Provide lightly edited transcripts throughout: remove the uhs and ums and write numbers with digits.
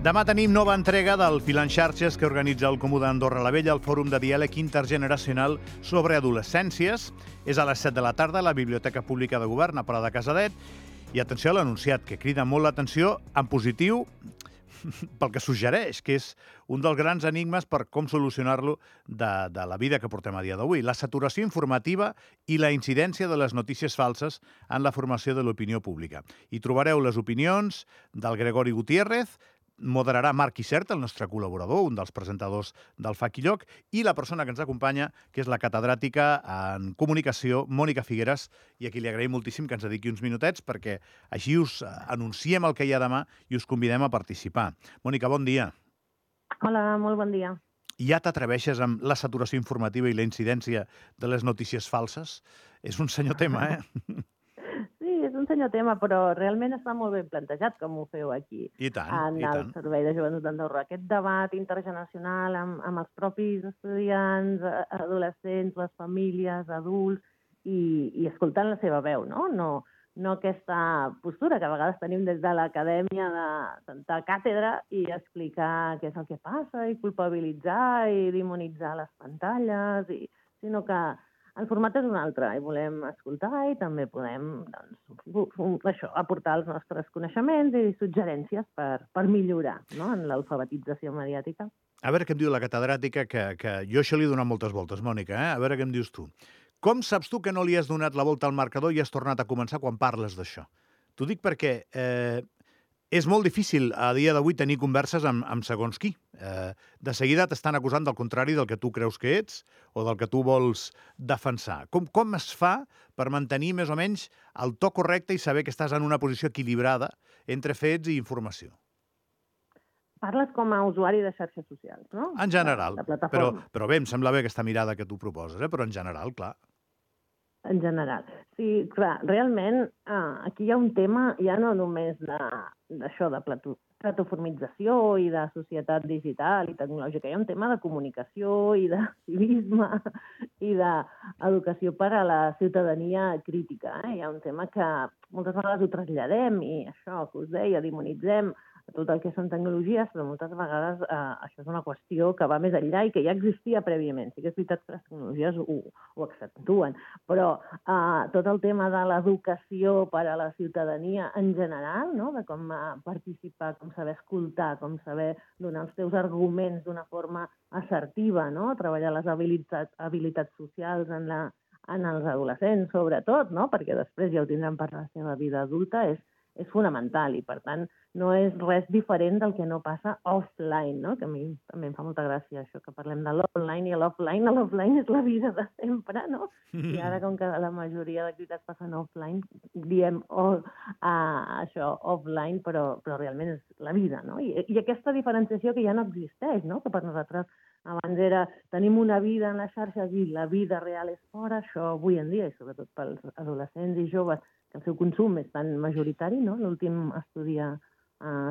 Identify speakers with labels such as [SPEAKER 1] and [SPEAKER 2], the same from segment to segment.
[SPEAKER 1] Demà tenim nova entrega del Filant Xarxes que organitza el Comú d'Andorra la Vella, el Fòrum de Diàleg Intergeneracional sobre Adolescències. És a les 7 de la tarda a la Biblioteca Pública de Govern, a Pla de Casadet. I atenció a l'anunciat, que crida molt l'atenció en positiu pel que suggereix, que és un dels grans enigmes per com solucionar-lo de la vida que portem a dia d'avui. La saturació informativa i la incidència de les notícies falses en la formació de l'opinió pública. Hi trobareu les opinions del Gregori Gutiérrez, moderarà Marc Isert, el nostre col·laborador, un dels presentadors del Fa Qui Lloc, i la persona que ens acompanya, que és la catedràtica en comunicació, Mònica Figueres, i a qui li agraïm moltíssim que ens dediqui uns minutets, perquè així us anunciem el que hi ha demà i us convidem a participar. Mònica, bon dia.
[SPEAKER 2] Hola, molt bon dia.
[SPEAKER 1] Ja t'atreveixes amb la saturació informativa i la incidència de les notícies falses? És un senyor tema, eh?
[SPEAKER 2] Sí, és un senyor tema, però realment està molt ben plantejat, com ho feu aquí.
[SPEAKER 1] I tant,
[SPEAKER 2] en
[SPEAKER 1] i tant.
[SPEAKER 2] el Servei de Joventut d'Andorra. Aquest debat intergeneracional amb els propis estudiants, adolescents, les famílies, adults, i escoltant la seva veu, no? No aquesta postura que a vegades tenim des de l'acadèmia de sentar càtedra i explicar què és el que passa, i culpabilitzar, i demonitzar les pantalles, sinó que el format és un altre, i volem escoltar i també podem aportar els nostres coneixements i suggerències per millorar, no?, en l'alfabetització mediàtica.
[SPEAKER 1] A veure què em diu la catedràtica, que jo això li he donat moltes voltes, Mònica, eh? A veure què em dius tu. Com saps tu que no li has donat la volta al marcador i has tornat a començar quan parles d'això? T'ho dic perquè és molt difícil a dia d'avui tenir converses amb segons qui. De seguida t'estan acusant del contrari del que tu creus que ets o del que tu vols defensar. Com es fa per mantenir més o menys el to correcte i saber que estàs en una posició equilibrada entre fets i informació?
[SPEAKER 2] Parles com a usuari de xarxes socials, no?
[SPEAKER 1] En general.
[SPEAKER 2] De plataforma.
[SPEAKER 1] Però bé, em sembla bé aquesta mirada que tu proposes, però en general, clar.
[SPEAKER 2] En general. Sí, clar, realment aquí hi ha un tema ja no només d'això, de plataformització i de societat digital i tecnològica, hi ha un tema de comunicació i de civisme i d'educació per a la ciutadania crítica. Hi ha un tema que moltes vegades ho traslladem i això que us deia, demonitzem tot el que són tecnologies, però moltes vegades això és una qüestió que va més enllà i que ja existia prèviament. Sí que és veritat que les tecnologies ho accentuen, però tot el tema de l'educació per a la ciutadania en general, no?, de com participar, com saber escoltar, com saber donar els teus arguments d'una forma assertiva, no?, treballar les habilitats socials en els adolescents, sobretot, no?, perquè després ja ho tindran per la seva vida adulta, és fonamental i, per tant, no és res diferent del que no passa offline, no? Que a mi també em fa molta gràcia això, que parlem de l'online i l'offline és la vida de sempre, no? I ara, com que la majoria d'activitats passen offline, diem això, offline, però realment és la vida, no? I aquesta diferenciació que ja no existeix, no? Que per nosaltres abans era tenim una vida en les xarxes i la vida real és fora, això avui en dia, i sobretot pels adolescents i joves, que el seu consum és tan majoritari, no? L'últim estudi a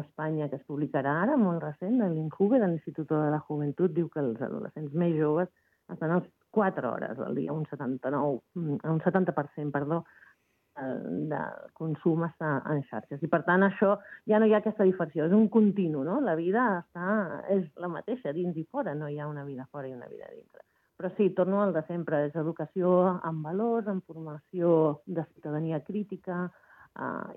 [SPEAKER 2] Espanya, que es publicarà ara, molt recent, de l'INJUVE, de l'Institut de la Joventut, diu que els adolescents més joves estan a 4 hores al dia, un 70%, de consum està en xarxes. I, per tant, això ja no hi ha aquesta diferència, és un continu, no? La vida és la mateixa, dins i fora, no hi ha una vida fora i una vida dintre. Però sí, torno al de sempre, és educació amb valors, amb formació de ciutadania crítica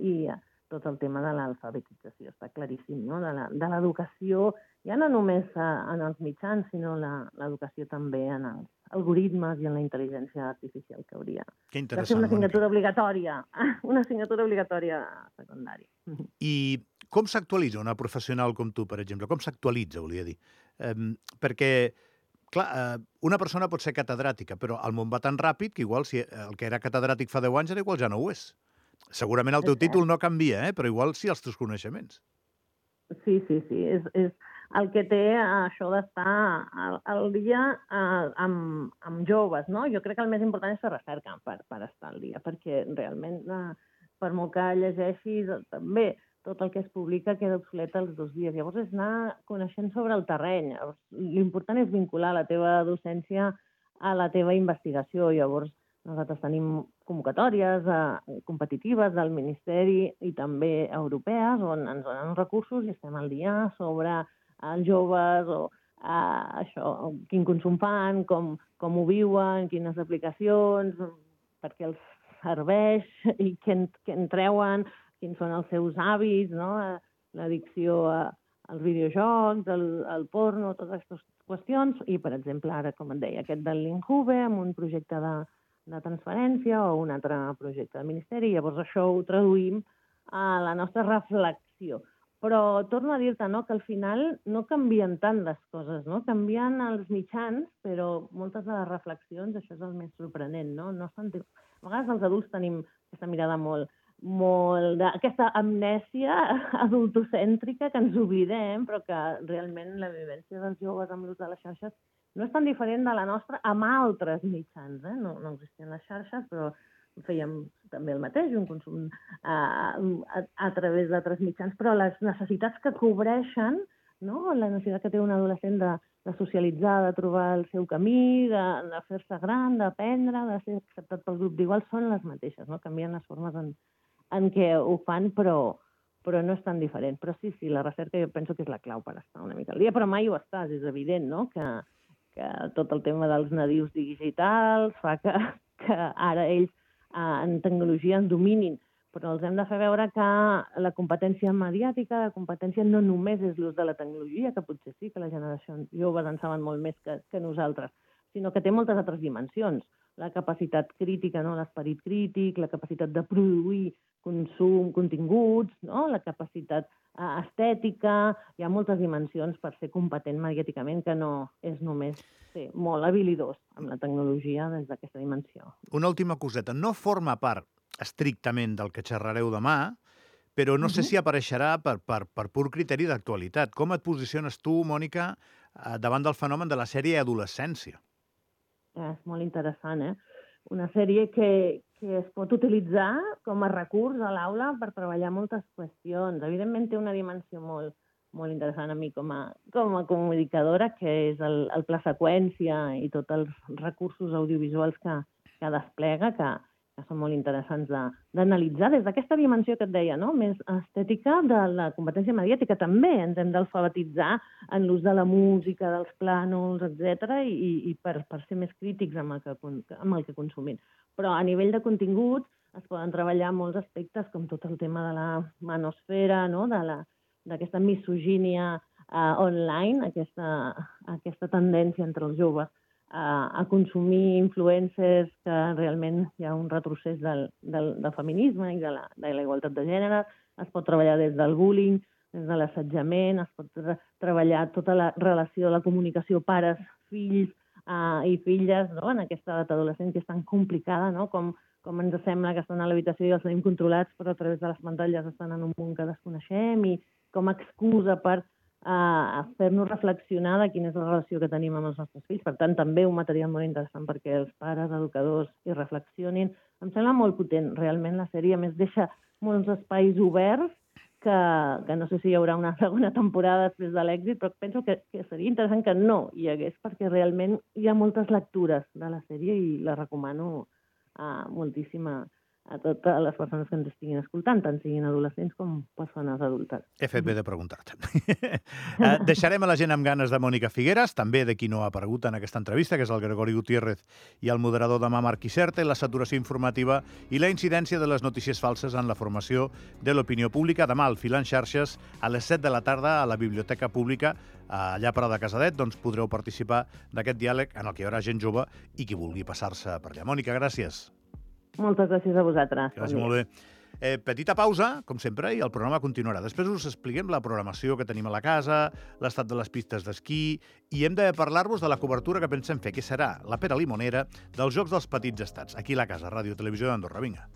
[SPEAKER 2] i tot el tema de l'alfabetització, està claríssim, no? De l'educació, ja no només en els mitjans, sinó l'educació també en els algoritmes i en la intel·ligència artificial, que hauria de ser una assignatura obligatòria, secundària.
[SPEAKER 1] I com s'actualitza una professional com tu, per exemple? Com s'actualitza, volia dir? Perquè, clar, una persona pot ser catedràtica, però el món va tan ràpid que igual si el que era catedràtic fa 10 anys ara igual ja no ho és. Segurament el teu títol no canvia, però igual sí els teus coneixements.
[SPEAKER 2] Sí. És el que té això d'estar al dia amb joves, no? Jo crec que el més important és fer recerca per estar al dia, perquè realment, per molt que llegeixis, també tot el que es publica queda obsolet els 2 dies. Llavors és anar coneixent sobre el terreny. L'important és vincular la teva docència a la teva investigació. Llavors nosaltres tenim convocatòries competitives del Ministeri i també europees, on ens donen recursos i estem al dia sobre els joves o això, quin consum fan, com ho viuen, quines aplicacions, per què els serveix i què en treuen, quins són els seus hàbits, no? L'addicció als videojocs, al porno, totes aquestes qüestions. I, per exemple, ara, com et deia, aquest del Linkhube, amb un projecte de transferència o un altre projecte del Ministeri. Llavors això ho traduïm a la nostra reflexió. Però torno a dir-te, no?, que al final no canvien tant les coses, no? Canvien els mitjans, però moltes de les reflexions, això és el més sorprenent, no? A vegades els adults tenim aquesta mirada molt aquesta amnèsia adultocèntrica que ens oblidem, però que realment la vivència dels joves amb l'ús de les xarxes no és tan diferent de la nostra amb altres mitjans. No existien les xarxes, però fèiem també el mateix, un consum a través d'altres mitjans, però les necessitats que cobreixen, no? La necessitat que té un adolescent de socialitzar, de trobar el seu camí, de fer-se gran, d'aprendre, de ser acceptat pel grup d'iguals, són les mateixes, no? Canvien les formes en què ho fan, però no és tan diferent. Però sí, la recerca jo penso que és la clau per estar una mica al dia, però mai ho estàs, és evident, no?, que tot el tema dels nadius digitals fa que ara ells en tecnologia en dominin, però els hem de fer veure que la competència mediàtica, la competència no només és l'ús de la tecnologia, que potser sí que la generació joves en saben molt més que nosaltres, sinó que té moltes altres dimensions. La capacitat crítica, no? L'esperit crític, la capacitat de produir continguts, no? La capacitat estètica, hi ha moltes dimensions per ser competent mediàticament, que no és només ser molt habilidós amb la tecnologia des d'aquesta dimensió.
[SPEAKER 1] Una última coseta. No forma part estrictament del que xerrareu demà, però no sé si apareixerà per pur criteri d'actualitat. Com et posiciones tu, Mònica, davant del fenomen de la sèrie adolescència?
[SPEAKER 2] És molt interessant, Una sèrie que es pot utilitzar com a recurs a l'aula per treballar moltes qüestions. Evidentment té una dimensió molt interessant a mi com a comunicadora, que és el pla seqüència i tots els recursos audiovisuals que desplega, que són molt interessants d'analitzar des d'aquesta dimensió que et deia, no?, més estètica de la competència mediàtica. També ens hem d'alfabetitzar en l'ús de la música, dels plànols, etc., i per ser més crítics amb el que consumim. Però a nivell de continguts es poden treballar molts aspectes, com tot el tema de la manosfera, no?, d'aquesta misogínia online, aquesta tendència entre els joves a consumir influencers, que realment hi ha un retrocés del feminisme i de la igualtat de gènere. Es pot treballar des del bullying, des de l'assetjament, es pot treballar tota la relació, la comunicació pares, fills i filles, no?, en aquesta edat adolescent que és tan complicada, no?, com ens sembla que estan a l'habitació i els tenim controlats, però a través de les pantalles estan en un món que desconeixem, i com a excusa per a fer-nos reflexionar de quina és la relació que tenim amb els nostres fills. Per tant, també un material molt interessant perquè els pares, educadors, hi reflexionin. Em sembla molt potent. Realment la sèrie, a més, deixa molts espais oberts que no sé si hi haurà una segona temporada després de l'èxit, però penso que seria interessant que no hi hagués, perquè realment hi ha moltes lectures de la sèrie i la recomano moltíssim a totes les persones que ens estiguin escoltant, tant siguin adolescents com persones adultes.
[SPEAKER 1] He fet bé de preguntar-te. Deixarem a la gent amb ganes de Mònica Figueras, també de qui no ha aparegut en aquesta entrevista, que és el Gregori Gutiérrez i el moderador demà Marc Iserte, la saturació informativa i la incidència de les notícies falses en la formació de l'opinió pública. Demà al Fil en Xarxes, a les 7 de la tarda, a la Biblioteca Pública, allà a Prada de Casadet, doncs podreu participar d'aquest diàleg en el que hi haurà gent jove i qui vulgui passar-se per allà. Mònica, gràcies.
[SPEAKER 2] Moltes gràcies a vosaltres.
[SPEAKER 1] Gràcies, molt bé. Petita pausa, com sempre, i el programa continuarà. Després us expliquem la programació que tenim a la casa, l'estat de les pistes d'esquí, i hem de parlar-vos de la cobertura que pensem fer, que serà la pera limonera dels Jocs dels Petits Estats, aquí a la casa, Ràdio Televisió d'Andorra. Vinga.